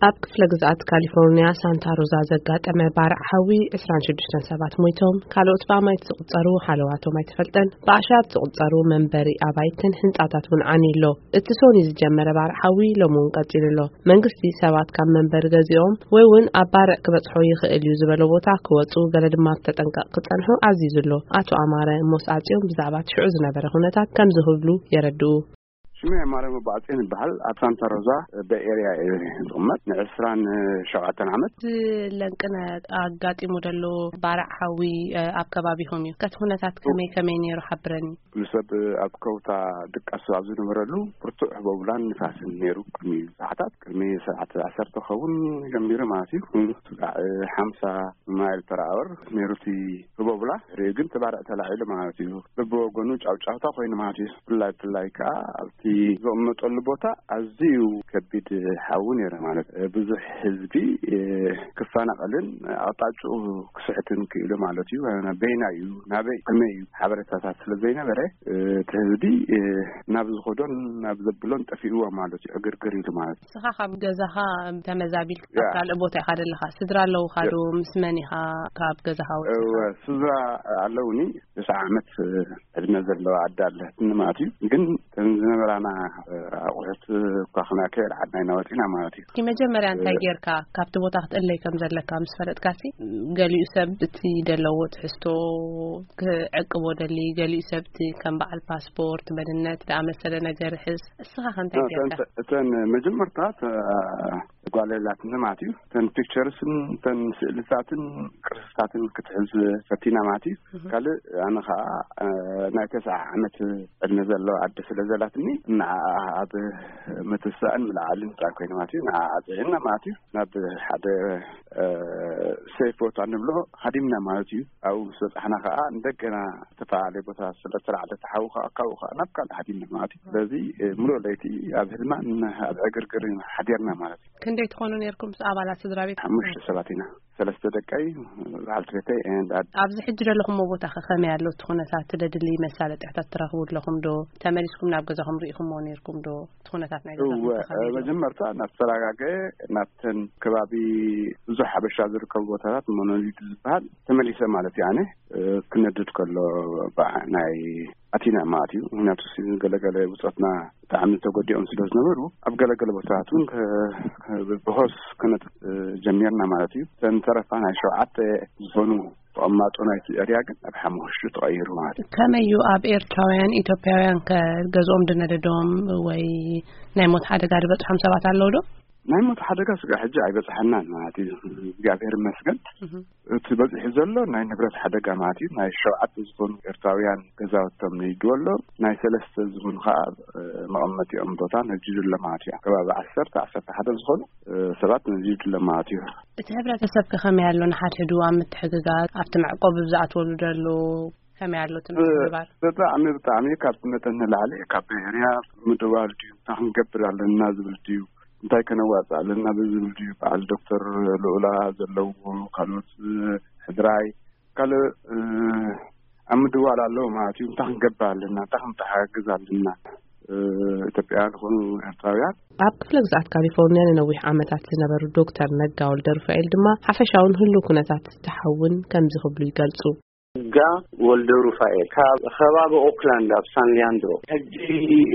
ኣብ ክፍለ ግዝኣት ካሊፎርኒያ ሳንታ ሮዛ ዘጋጠመ ባርዕ ሓዊ ዕስራን ሽዱሽተን ሰባት ሞይቶም፣ ካልኦት ብኣማይት ዝቑጸሩ ሓለዋቶም ኣይተፈልጠን፣ ብኣሻት ዝቑጸሩ መንበሪ ኣባይትን ህንጻታት እውን ዓንዩ ኣሎ። እቲ ሶኒ ዝጀመረ ባርዕ ሓዊ ሎሚ እውን ቀጺሉ ኣሎ። መንግስቲ ሰባት ካብ መንበሪ ገዚኦም ወይ እውን ኣብ ባርዕ ክበጽሖ ይኽእል እዩ ዝበሎ ቦታ ክወጹ፣ ገለ ድማ ኣብ ተጠንቀቕ ክጸንሑ ኣዚዙ ኣሎ። ኣቶ ኣማረ ሞስኣጽዮን ብዛዕባ እቲ ሽዑ ዝነበረ ኩነታት ከምዚ ክብሉ የረድኡ። ሽመይ ኣማረ መባዕጼን ይበሃል። ኣብ ሳንታ ሮዛ በይ ኤርያ እየ ዝቕመጥ። ንዕስራን ሸውዓተን ዓመት። እዚ ለንቅነ ኣጋጢሙ ዘሎ ባርዕ ሓዊ ኣብ ከባቢኹም እዩ። ከቲ ኩነታት ከመይ ከመይ ነይሩ ሓብረኒ? ኩሉ ሰብ ኣብ ከውታ ድቃሱ ኣብ ዝነበረሉ ብርቱዕ ህቦብላን ንፋስን ነይሩ። ቅድሚ ሰዓታት፣ ቅድሚ ሰዓት ዓሰርተ ክኸውን ጀሚሩ ማለት እዩ። ስጋዕ ሓምሳ ማይል ፐር ኣወር ነይሩ እቲ ህቦብላ። ድሕሪኡ ግን እቲ ባርዕ ተላዒሉ ማለት እዩ። በብወገኑ ጫውጫውታ ኮይኑ ማለት እዩ። ብፍላይ፣ ብፍላይ ከዓ ኣብቲ ዝቕመጠሉ ቦታ ኣዝዩ ከቢድ ሓዊ ነይሩ ማለት እዩ። ብዙሕ ህዝቢ፣ እ፣ ክፈናቐልን ኣቕጣጭኡ ክስሕትን ክኢሉ ማለት እዩ። በይና እዩ፣ ናበይ፣ ከመይ እዩ ሓበሬታታት ስለ ዘይነበረ፣ እ፣ እቲ ህዝቢ፣ እ፣ ናብ ዝኸዶን ናብ ዘብሎን ጠፊእዎ ማለት እዩ። ዕግርግር ኢሉ ማለት እዩ። ንስኻ ካብ ገዛኻ ተመዛቢልካ ያ። ኣብ ካልእ ቦታ ኢኻ ዘለኻ? ስድራ ኣለውኻ ዶ? ያ። ምስ መን ኢኻ ካብ ገዛኻ ወጺኻ? እወ፣ ስድራ ኣለውኒ። ተስዓ ዓመት ዕድመ ዘለዋ ኣደ ኣለትኒ ማለት እዩ። ግን እተን ዝነበራና ኣቑሑት እኳ ክናከ ዓድና ኢና ወፂና ማለት እዩ። እስኪ መጀመርያ እንታይ እ- ጌርካ ካብቲ ቦታ ክትእለይ ከም ዘለካ ምስ ፈለጥካሲ፣ ገሊኡ ሰብ እቲ ዘለዎ ትሕዝቶ ክዕቅቦ ደሊ፣ ገሊኡ ሰብ እቲ ከም በዓል ፓስፖርት መንነት ዝኣመሰለ ነገር ሕዝ። እስኻ ከ እንታይ እ፣ ጌርካ? እተን፣ እተን መጀመርታ ተ-፣ ጓል የላትኒ ማለት እዩ። እተን ፒክቸርስን እተን ስእልታትን ቅርስታትን ክትሕዝ ፈቲና ማለት እዩ። እህ። ካልእ ኣነ ኸዓ፣ እ፣ ናይ ተስዓ ዓመት ዕድመ ዘለዋ ኣደ ስለ ዘላትኒ፣ ንዓኣ ኣብ ምትሳእን ምልዓልን ጥራይ ኮይነ ማለት እዩ። ንዓኣ ኣጽዒና ማለት እዩ። ናብ ሓደ፣ እ፣ ሴፍ ቦታ ንብሎ ሃዲምና ማለት እዩ። ኣብኡ ምስ በጻሕና ኸዓ እንደገና ዝተፈላለየ ቦታ ስለ ተላዕለ እቲ ሓዊ ኸዓ ካብኡ ኸዓ ናብ ካልእ ሃዲምና ማለት እዩ። ስለዚ፣ እ፣ ምሉእ ለይቲ ኣብ ህልማን ኣብ ዕግርግርን ሓዲርና ማለት እዩ። ክንደይ ትኾኑ ነይርኩም ምስ ኣባላት ስድራ ቤት? ሓሙሽተ ሰባት ኢና። ሰለስተ ደቀይ፣ በዓልቲ ቤተይ፣ and ኣደ። ኣብዚ ሕጂ ዘለኹምዎ ቦታ ኸ ከመይ ኣሎ እቲ ኩነታት? ትደድሊ መሳለጥያታት ትረኽቡ ኣለኹም ዶ? ተመሊስኩም ናብ ገዛኹም ርኢኹምዎ ነይርኩም ዶ? እቲ ኩነታት ናይ ገዛኹም እወ፣ ከመይ ኣሎ? መጀመርታ እናተረጋገ ናብተን ከባቢ ብዙሕ ሓበሻ ዝርከቡ ቦታታት ሞኖሊድ ዝበሃል ተመሊሰ ማለት እዩ። ኣነ፣ እ፣ ክነድድ ከሎ በዓ-፣ ናይ ኣቲና ማለት እዩ። ምክንያቱ ሲ-፣ ገለገለ ብጾትና ብጣዕሚ ተጎዲኦም ስለ ዝነበሩ፣ ኣብ ገለገለ ቦታታት እውን ከ-፣ ከ-፣ ብሆስ ክነጥ-፣ ጀሚርና ማለት እዩ። እተን ተረፋ ናይ ሸውዓተ ዝኾኑ ተቐማጦ ናይቲ ኤርያ ግን ኣብ ሓሙሽተ ተቐይሩ ማለት እዩ። ከመይ እዩ ኣብ ኤርትራውያን፣ ኢትዮጵያውያን ከ ገዝኦም ድነደዶም ወይ ናይ ሞት ሓደጋ ዝበጽሖም ሰባት ኣለዉ ዶ? ናይ ሞት ሓደጋ ስጋዕ ሕጂ ኣይበጽሐናን ማለት እዩ። እግዚኣብሔር ይመስገን። እህ። እቲ በጺሑ ዘሎ ናይ ንብረት ሓደጋ ማለት እዩ። ናይ ሸውዓተ ዝኾኑ ኤርትራውያን ገዛውቶም ነይድዎ ኣሎ። ናይ ሰለስተ ዝኾኑ ኸዓ፣ እ፣ መቐመጢኦም ቦታ ነዲዱ ኣሎ ማለት እዩ። ከባቢ ዓሰርተ፣ ዓሰርተ ሓደ ዝኾኑ፣ እ፣ ሰባት ነዲዱ ኣሎ ማለት እዩ። እቲ ሕብረተሰብ ከ ከመይ ኣሎ ንሓድሕዱ ኣብ ምትሕግጋዝ፣ ኣብቲ መዕቆቢ ብዝኣትወሉ ዘሎ ከመይ ኣሎ እቲ እ፣ ምትሕብባር? ብጣዕሚ፣ ብጣዕሚ ካብቲ መጠን ንላዕሊ ካብ ኤርያ ምድዋል ድዩ፣ እንታይ ክንገብር ኣለና ዝብል ድዩ፣ እንታይ ከነዋጽእ ኣለና ብዝብል ድዩ፣ በዓል ዶክተር ልኡላ ዘለውዎ ካልኦት፣ እ፣ ሕድራይ ካልእ፣ እ፣ ኣብ ምድዋል ኣለዉ ማለት እዩ። እንታይ ክንገብር ኣለና፣ እንታይ ክንተሓጋግዝ ኣለና፣ እ፣ ኢትዮጵያውያን ዝኾኑ ኤርትራውያን። ኣብ ክፍለ ግዝኣት ካሊፎርኒያ ንነዊሕ ዓመታት ዝነበሩ ዶክተር ነጋ ወልደ ሩፋኤል ድማ ሓፈሻውን ህሉው ኩነታት ዝተሓውን ከምዚ ክብሉ ይገልጹ። ነጋ ወልደ ሩፋኤል ካብ ከባቢ ኦክላንድ ኣብ ሳን ሊያንድሮ። ሕጂ፣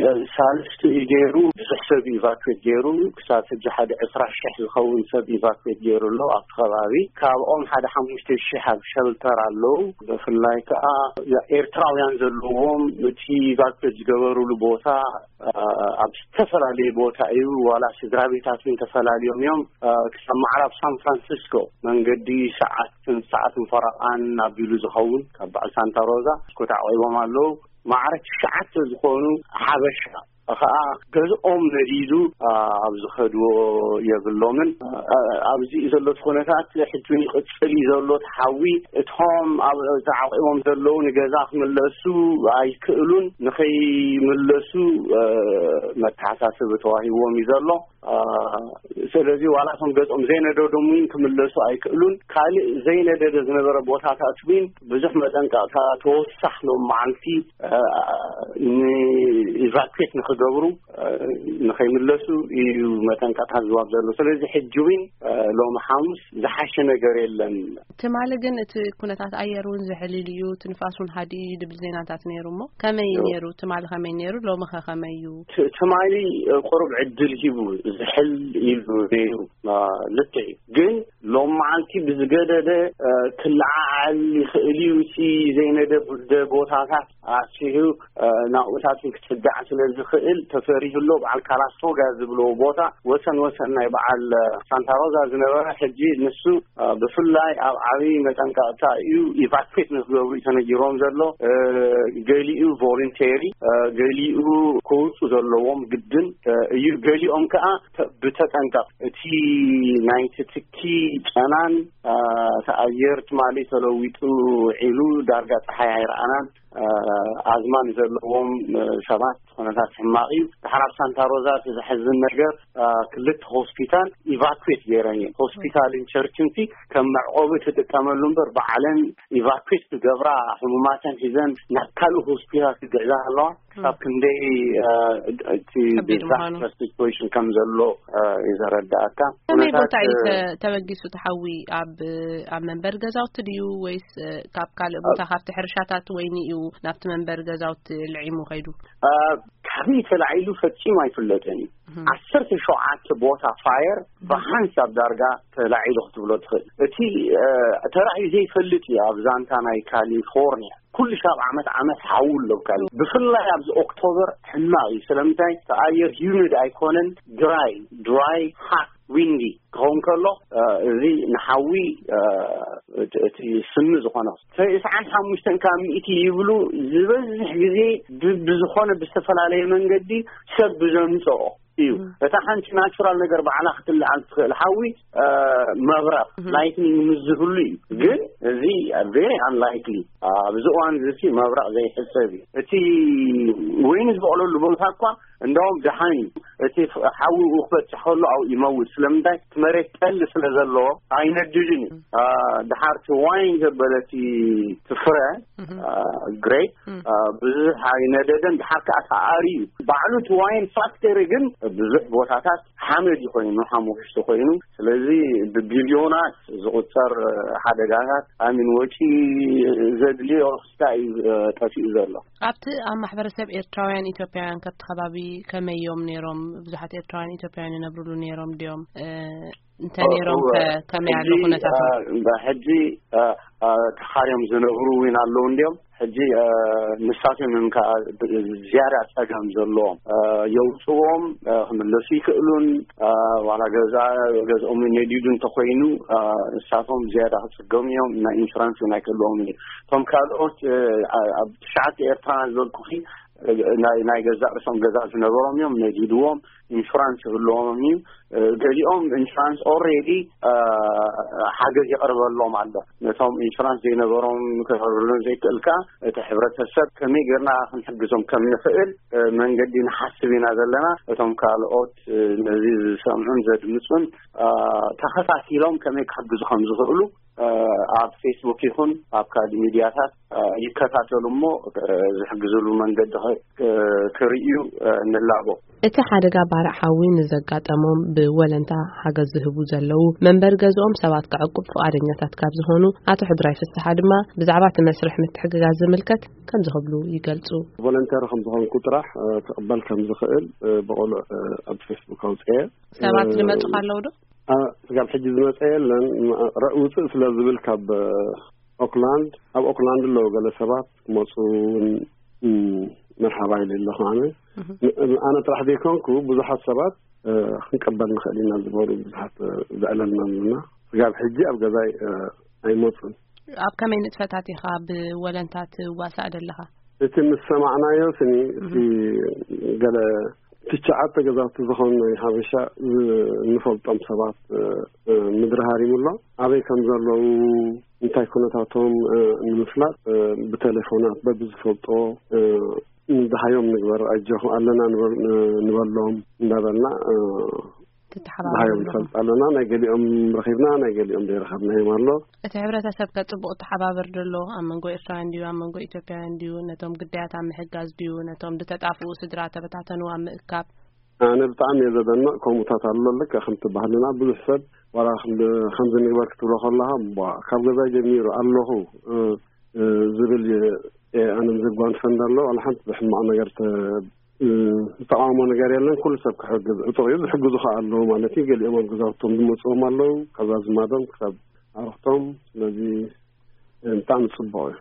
እ፣ ሳልስቲ እዩ ገይሩ፣ ብዙሕ ሰብ ኢቫኩዌት ገይሩ፣ ክሳብ ሕጂ ሓደ ዕስራ ሽሕ ዝኸውን ሰብ ኢቫኩዌት ገይሩ ኣሎ ኣብቲ ከባቢ። ካብኦም ሓደ ሓሙሽተ ሽሕ ኣብ ሸልተር ኣለዉ። ብፍላይ ከኣ ኤርትራውያን ዘለዎም፣ እቲ ኢቫኩዌት ዝገበሩሉ ቦታ፣ እ፣ ኣብ ዝተፈላለየ ቦታ እዩ። ዋላ ስድራ ቤታት እውን ተፈላልዮም እዮም። እ፣ ክሳብ ምዕራብ ሳን ፍራንሲስኮ መንገዲ ሰዓትን ሰዓትን ፈረቓን ኣቢሉ ዝኸውን ካብ በዓል ሳንታ ሮዛ እስኮት ዓቂቦም ኣለዉ። ማዕረ ትሽዓተ ዝኾኑ ሓበሻ ኸኣ ገዝኦም ነዲዱ፣ ኣ፣ ኣብ ዝኸድዎ የብሎምን። ኣ፣ ኣብዚ ዘሎ እቲ ኩነታት ሕጂ እውን ይቕጽል እዩ ዘሎ እቲ ሓዊ። እቶም ኣብ ተዓቂቦም ዘለዉ ንገዛ ክምለሱ ኣይክእሉን። ንኸይምለሱ፣ እ፣ መተሓሳስቢ ተዋሂብዎም እዩ ዘሎ። ስለዚ ዋላ እቶም ገጾም ዘይነደዶም እውን ክምለሱ ኣይክእሉን። ካልእ ዘይነደደ ዝነበረ ቦታታት እውን ብዙሕ መጠንቀቕታ ተወሳኽ ሎም መዓልቲ ንኢቫኩዌት ንክገብሩ ንኸይምለሱ እዩ መጠንቀቕታ ዝዋብ ዘሎ። ስለዚ ሕጂ እውን ሎሚ ሓሙስ ዝሓሸ ነገር የለን። ትማሊ ግን እቲ ኩነታት ኣየር እውን ዝሕሊል እዩ፣ እቲ ንፋስ እውን ሃዲኡ እዩ ድብል ዜናታት ነይሩ። እሞ ከመይ እዩ ነይሩ ትማሊ? ከመይ ነይሩ? ሎሚ ኸ ከመይ እዩ? ትማሊ ቁሩብ ዕድል ሂቡ ዝሕል ኢሉ ነይሩ። ልክዕ እዩ። ግን ሎም መዓልቲ ብዝገደደ ክለዓዓል ይኽእል እዩ። እቲ ዘይነደደ ቦታታት ኣስፊሑ ናብኡታት ክትስጋዕ ስለ ዝኽእል ተፈሪሁ ኣሎ። በዓል ካላስቶጋ ዝብልዎ ቦታ ወሰን ወሰን ናይ በዓል ሳንታ ሮዛ ዝነበረ ሕጂ ንሱ ብፍላይ ኣብ ዓብዪ መጠንቀቕታ እዩ። ኢቫኩዌት ንክገብሩ እዩ ተነጊሮም ዘሎ። ገሊኡ ቮለንቴሪ፣ ገሊኡ ክውፁ ዘለዎም ግድን እዩ። ገሊኦም ከዓ ብተጠንቀቕ እቲ ናይቲ ትኪ ጨናን እቲ ኣየር ትማሊ ተለዊጡ ውዒሉ ዳርጋ ፀሓይ ኣይረኣናን። ኣዝማ ንዘለዎም ሰባት ኩነታት ሕማቕ እዩ። ድሓር ኣብ ሳንታ ሮዛ እቲ ዘሕዝን ነገር ክልተ ሆስፒታል ኢቫኩዌት ገይረን እየን። ሆስፒታልን ቸርችን ሲ ከም መዕቆቢ ትጥቀመሉ እምበር ባዕለን ኢቫኩዌት ክገብራ ሕሙማተን ሒዘን ናብ ካልእ ሆስፒታል ክግዕዛ ኣለዋ። ክሳብ ክንደይ እቲ ዲዛስተር ሲትዌሽን ከም ዘሎ እዩ ዘረዳእካ። ከመይ ቦታ እዩ ተበጊሱ ተሓዊ? ኣብ ኣብ መንበሪ ገዛውቲ ድዩ ወይስ ካብ ካልእ ቦታ ካብቲ ሕርሻታት ወይኒ እዩ ናብቲ መንበሪ ገዛውቲ ልዒሙ ከይዱ? ካብ ተላዒሉ ፈጺሙ ኣይፍለጥን እዩ። ዓሰርተ ሸውዓተ ቦታ ፋየር ብሓንሳብ ዳርጋ ተላዒሉ ክትብሎ ትኽእል። እቲ ተራእዩ ዘይፈልጥ እዩ። ኣብ ዛንታ ናይ ካሊፎርኒያ ኩሉ ሻብ ዓመት ዓመት ሓው ኣሎ። ካሊ ብፍላይ ኣብዚ ኦክቶበር ሕማቕ እዩ። ስለምንታይ? ተኣየር ሂዩሚድ ኣይኮነን፣ ድራይ ድራይ ሃት ዊንዲ ክኸውን ከሎ እዚ ንሓዊ እቲ ስሚ ዝኾነ ተስዓን ሓሙሽተን ካብ ሚእቲ ይብሉ። ዝበዝሕ ግዜ ብዝኾነ ብዝተፈላለየ መንገዲ ሰብ ብዘምፅኦ እዩ። እታ ሓንቲ ናቹራል ነገር ባዕላ ክትለዓል ትኽእል ሓዊ መብረቕ ላይትኒንግ ምስ ዝህሉ እዩ። ግን እዚ ቨሪ ኣንላይክሊ ኣብዚ እዋን እዚ መብረቕ ዘይሕሰብ እዩ። እቲ ወይኒ ዝበቕለሉ ቦታ እኳ እንደውም ደሓን እዩ። እቲ ሓዊ ክበፅሕ ከሎ ኣብኡ ይመውት። ስለምንታይ? እቲ መሬት ጠሊ ስለ ዘለዎ ኣይነድድን እዩ። ድሓርቲ ዋይን ዘበለ እቲ ፍረ ግሬፕ ብዙሕ ኣይነደደን። ድሓር ከዓ ተኣሪ እዩ ባዕሉ እቲ ዋይን ፋክተሪ ግን ብዙሕ ቦታታት ሓመድ ኮይኑ ሓሙኽሽቲ ኮይኑ። ስለዚ ብቢልዮናት ዝቁፀር ሓደጋታት ኣሚን ወጪ ዘድልዮ ክስታ እዩ ጠፊኡ ዘሎ። ኣብቲ ኣብ ማሕበረሰብ ኤርትራውያን ኢትዮጵያውያን ከብቲ ከባቢ ከመይ እዮም ነይሮም? ብዙሓት ኤርትራውያን ኢትዮጵያውያን ይነብሩሉ ነይሮም ድዮም? እንተ ነይሮም ከመይ ኣሎ ኩነታቶም? ሕጂ ተኻርዮም ዝነብሩ እውን ኣለዉ እንዲዮም። ሕጂ ንሳቶም እዮም ከዓ ዝያዳ ፀገም ዘለዎም። የውፅዎም ክምለሱ ይክእሉን ዋላ ገዛ ገዝኦም ነዲዱ እንተኮይኑ ንሳቶም ዝያዳ ክፅገሙ እዮም። ናይ ኢንሹራንስ እውን ኣይክህልዎም እዩ። እቶም ካልኦት ኣብ ትሽዓተ ኤርትራና ዝበልኩኺ ናይ ገዛ ርእሶም ገዛ ዝነበሮም እዮም ነዲድዎም። ኢንሹራንስ ይህልዎም እዩ። ገሊኦም ኢንሹራንስ ኦሬዲ ሓገዝ ይቐርበሎም ኣሎ። ነቶም ኢንሹራንስ ዘይነበሮም ክረብርሎም ዘይክእል ከዓ እቲ ሕብረተሰብ ከመይ ጌርና ክንሕግዞም ከም ንኽእል መንገዲ ንሓስብ ኢና ዘለና። እቶም ካልኦት ነዚ ዝሰምዑን ዘድምፁን ተኸታቲሎም ከመይ ክሕግዙ ከም ዝኽእሉ ኣብ ፌስቡክ ይኹን ኣብ ካልእ ሚድያታት ይከታተሉ እሞ ዝሕግዝሉ መንገዲ ክርእዩ ንላቦ። እቲ ሓደጋ ባርዕ ሓዊ ንዘጋጠሞም ብወለንታ ሓገዝ ዝህቡ ዘለዉ መንበሪ ገዝኦም ሰባት ከዕቁብ ፍቓደኛታት ካብ ዝኾኑ ኣቶ ሕድራይ ፍስሓ ድማ ብዛዕባ እቲ መስርሕ ምትሕግጋዝ ዝምልከት ከምዚ ክብሉ ይገልጹ። ቮለንተር ከም ዝኾንኩ ጥራሕ ክቕበል ከም ዝኽእል ብቕሉዕ ኣብ ፌስቡክ ኣውፅኤ። ሰባት ዝመፁ ኣለዉ ዶ? ስጋብ ሕጂ ዝመፀ የለን። ውፅእ ስለ ዝብል ካብ ኦክላንድ ኣብ ኦክላንድ ኣለዉ ገለ ሰባት ክመፁ እውን መርሓባ ኢለ ኣለኹ። ኣነ ኣነ ጥራሕ ዘይኮንኩ ብዙሓት ሰባት ክንቀበል ንኽእል ኢና ዝበሉ ብዙሓት ዘዕለልና ኣለና። ስጋብ ሕጂ ኣብ ገዛይ ኣይመፁን። ኣብ ከመይ ንጥፈታት ኢኻ ብወለንታ ትዋሳእ ዘለኻ? እቲ ምስ ሰማዕናዮ ስኒ እቲ ገለ ትሽዓተ ገዛውቲ ዝኾኑ ናይ ሓበሻ ንፈልጦም ሰባት ምድሪ ሃሪሙ ኣሎ። ኣበይ ከም ዘለዉ እንታይ ኩነታቶም ንምፍላጥ ብቴሌፎናት በብዝፈልጦ ንድሃዮም ንግበር ኣጆኹም ኣለና ንበሎም እንዳበልና ተሓባበሩ ኣለኹም? ንፈልጥ ኣለና። ናይ ገሊኦም ረኺብና፣ ናይ ገሊኦም ዘይረኸብናዮም ኣሎ። እቲ ሕብረተሰብ ከ ጽቡቕ ተሓባበር ደሎ ኣብ መንጎ ኤርትራውያን ድዩ ኣብ መንጎ ኢትዮጵያውያን ድዩ? ነቶም ግዳያት ኣብ ምሕጋዝ ድዩ? ነቶም ዝተጣፍኡ ስድራ ተበታተኑ ኣብ ምእካብ? ኣነ ብጣዕሚ እየ ዘደንቕ። ከምኡታት ኣሎ። ልክዕ ከምቲ ባህልና ብዙሕ ሰብ ዋላ ክንዲ- ከምዚ ንግበር ክትብሎ ከለኻ፣ ቧ፣ ካብ ገዛ ጀሚሩ ኣለኹ፣ እ፣ እ፣ ዝብል እየ። ኣነ ዝጓንፈ እንዳሎ ዋላ ሓንቲ ብሕማቕ ነገር ተ- ዝተቃወሞ ነገር የለን። ኩሉ ሰብ ክሕግዝ ዕጡቕ እዩ። ዝሕግዙ ከዓ ኣለዉ ማለት እዩ። ገሊኦም ኣብ ገዛውቶም ዝመፅኦም ኣለዉ፣ ካብ ኣዝማዶም ክሳብ ኣርክቶም። ስለዚ ብጣዕሚ ፅቡቅ እዩ።